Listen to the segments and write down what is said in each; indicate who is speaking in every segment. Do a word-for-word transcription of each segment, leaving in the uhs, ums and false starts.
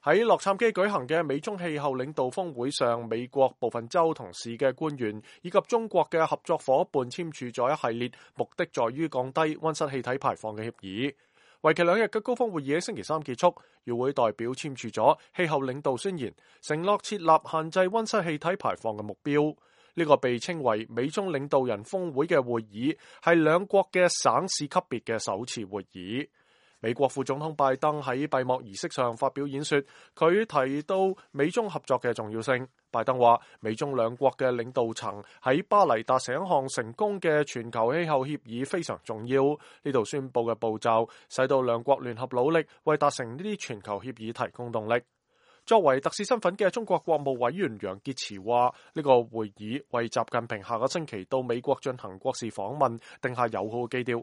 Speaker 1: 喺洛杉磯舉行嘅美中氣候領導峰會上，美國部分州同市嘅官員以及中國嘅合作伙伴簽署咗一系列目的在於降低溫室氣體排放嘅協議。為期兩日嘅高峰會議喺星期三結束，與會代表簽署咗氣候領導宣言，承諾設立限制溫室氣體排放嘅目標。呢、這個被稱為美中領導人峰會嘅會議，係兩國嘅省市級別嘅首次會議。美國副總統拜登喺閉幕儀式上發表演說，佢提到美中合作嘅重要性。拜登話，美中兩國嘅領導層喺巴黎達成一項成功嘅全球氣候協議非常重要。呢度宣佈嘅步驟，使到兩國聯合努力為達成呢啲全球協議提供動力。作為特使身份嘅中國國務委員楊潔篪話，呢、這個會議為習近平下個星期到美國進行國事訪問定下友好嘅基調。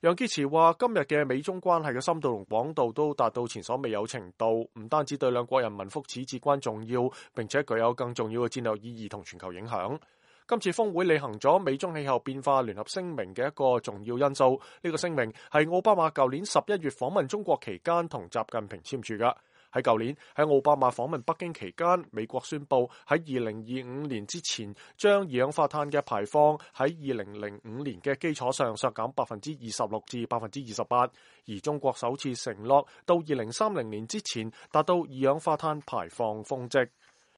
Speaker 1: 楊潔篪話，今日嘅美中關係嘅深度同廣度都達到前所未有程度，唔單止對兩國人民福祉至關重要，並且具有更重要嘅戰略意義同全球影響。今次峰會履行咗美中氣候變化聯合聲明嘅一個重要因素，呢、這個聲明係奧巴馬舊年十一月訪問中國期間同習近平簽署㗎。喺舊年喺奧巴馬訪問北京期間，美國宣布喺二零二五年之前將二氧化碳嘅排放喺二零零五年嘅基礎上削減百分之二十六至百分之二十八，而中國首次承諾到二零三零年之前達到二氧化碳排放峰值。